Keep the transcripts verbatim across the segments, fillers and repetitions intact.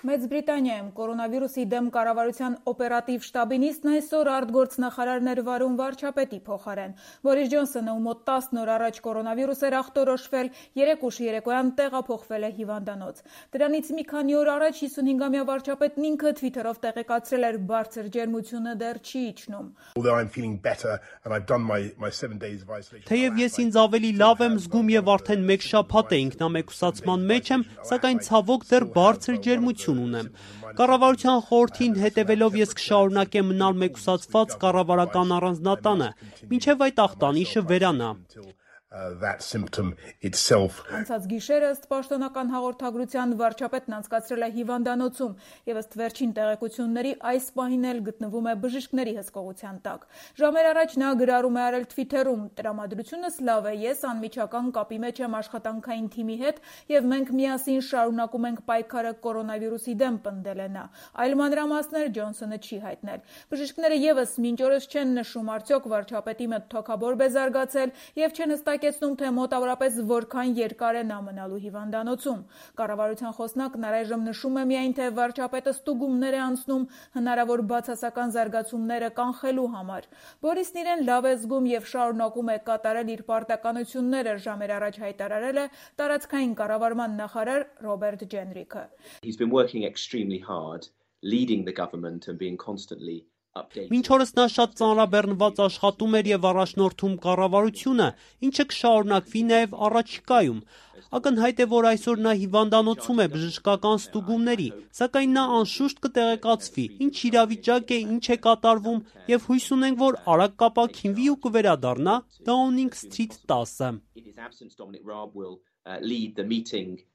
Մեծ Բրիտանիայում կորոնավիրուսի դեմ կառավարության օպերատիվ շտաբի նիստն այսօր արտգործնախարարներ վարում վարչապետի փոխարեն։ Բորիս Ջոնսոնը, ում մոտ տասն օր առաջ կորոնավիրուս էր ախտորոշվել, երեք ուշ երեկոյան տեղափոխվել է հիվանդանոց։ Դրանից մի քանի օր առաջ հիսունհինգամյա վարչապետն ինքը Twitter-ով տեղեկացրել էր՝ բարձր ջերմությունը դեռ չի իջնում։ Թեև ես ինձ ավելի լավ եմ զգում եւ արդեն մեկ շաբաթ է ինքնամեկուսացման մեջ եմ, սակայն ցավոք դեռ բարձր ջերմություն ունեմ։ Կառավարության խորհրդին հետևելով ես կշարունակեմ մնալ մեկուսացված կառավարական առանձնատանը, մինչև այդ ախտանիշը վերանա։ Անցած գիշերը ըստ պաշտոնական հաղորդագրության վարչապետն անցկացրել է հիվանդանոցում եւ ըստ վերջին տեղեկությունների այս պահին էլ գտնվում է բժիշկների հսկողության տակ։ Ժամեր առաջ նա գրառում է արել Twitter-ում. «Տրամադրությունս լավ է, ես անմիջական կապի մեջ եմ աշխատանքային թիմի հետ եւ մենք միասին շարունակում ենք պայքարը կորոնավիրուսի դեմ», պնդել է նա։ Այլ մանրամասներ Ջոնսոնը չի հայտնել։ Բժիշկները եւս մինչ օրս չեն նշում արդյոք վարչապետի մոտ թոքաբորբ է զարգացել եւ չեն հստակեցնում, թե մոտավորապես որքան երկար է նա մնալու հիվանդանոցում։ Կառավարության խոսնակն առայժմ նշում է միայն, թե վարչապետը ստուգումներ է անցնում հնարավոր բացասական զարգացումները կանխելու համար։ Բորիսն իրեն լավ է զգում եւ շարունակում է կատարել իր պարտականությունները, ժամեր առաջ հայտարարել է տարածքային կառավարման նախարար Ռոբերտ Ջենրիքը։ Մինչ օրս նա շատ ծանրաբեռնված աշխատում էր եւ առաջնորդում կառավարությունը, ինչը կշարունակվի նաեւ առաջիկայում։ Ակնհայտ է, որ այսօր նա հիվանդանոցում է բժշկական ստուգումների, սակայն նա անշուշտ կտեղեկացվի, ինչ իրավիճակ է, ինչ է կատարվում եւ հույս ունենք, որ արագ կապաքինվի ու կվերադառնա Դաունինգ Սթրիթ տասը։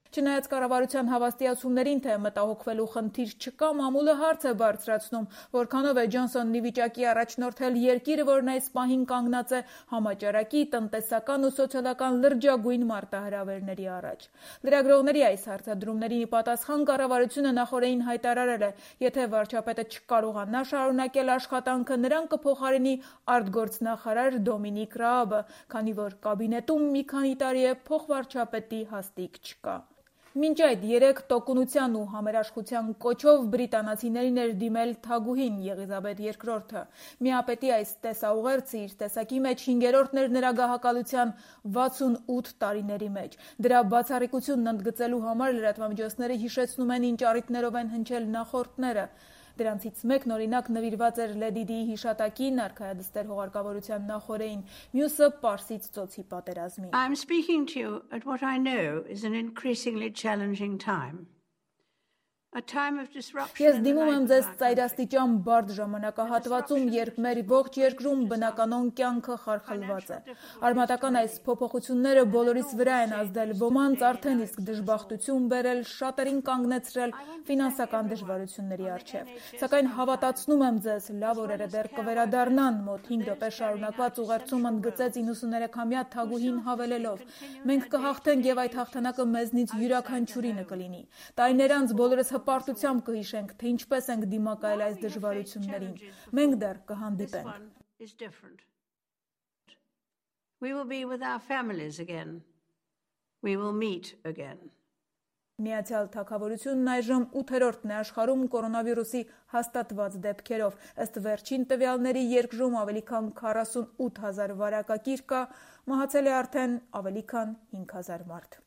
Չնայած կառավարության հավաստիացումներին, թե մտահոգվելու խնդիր չկա, մամուլը հարց է բարձրացնում, որքանով է Ջոնսոնն ի վիճակի առաջնորդել երկիրը, որն այս պահին կանգնած է համաճարակի, տնտեսական ու սոցիալական լրջագույն մարտահրավերների առաջ։ Լրագրողների այս հարցադրումներին ի պատասխան կառավարությունը նախօրեին հայտարարել է, եթե վարչապետը չկարողանա շարունակել աշխատանքը, նրան կփոխարինի արտգործնախարար Դոմինիկ Ռաաբը, քանի որ կաբինետում մի քանի տարի է փոխվարչապետի հաստիք չկա։ Մինչ այդ երեք տոկունության ու համերաշխության կոչով բրիտանացիներին էր դիմել թագուհին Եղիզաբեթ երկրորդը։ Միապետի այս տեսաուղերձը իր տեսակի մեջ հինգերորդն էր նրա գահակալության վաթսունութ տարիների մեջ։ Դրա բացառիկությունն ընդգծելու համար լրատվամիջոցները հիշեցնում են ինչ առիթներով են հնչել նախորդները։ Դրանցից մեկն օրինակ նվիրված էր Լեդի Դիի հիշատակին, արքայադստեր հողարկավորության նախօրեին, մյուսը Պարսից ծոցի պատերազմին։ I'm speaking to you at what I know is an increasingly challenging time. A time of disruption. Ես դիմում եմ ձեզ ծայրաստիճան բարդ ժամանակահատվածում, երբ մեր ողջ երկրում բնականon կյանքը խարխլված է։ Արմատական այս փոփոխությունները բոլորիս վրա են ազդել, ոմանց արդեն իսկ դժբախտություն բերել, շատերին կանգնեցրել ֆինանսական դժվարությունների առջև։ Սակայն հավատացնում եմ ձեզ, լավ օրերը դեռ կվերադառնան, մոտ հինգ րոպե շարունակված ուղերձում ընդգծեց իննսուներեքամյա թագուհին հավելելով. Մենք կհաղթենք եւ այդ հաղթանակը մեզնից յուրաքանչյուրինը կլինի։ Տարիներ անց բոլորս հպարտությամբ կհիշենք, թե ինչպես ենք դիմակայել այս դժվարություններին։ Մենք դեռ կհանդիպենք։ We will be with our families again. We will meet again. Միացյալ Թագավորությունն այժմ ութերորդն է աշխարհում կորոնավիրուսի հաստատված դեպքերով։ Ըստ վերջին տվյալների երկրում ավելի քան քառասունութ հազար վարակակիր կա, մահացել է արդեն ավելի քան հինգ հազար մարդ։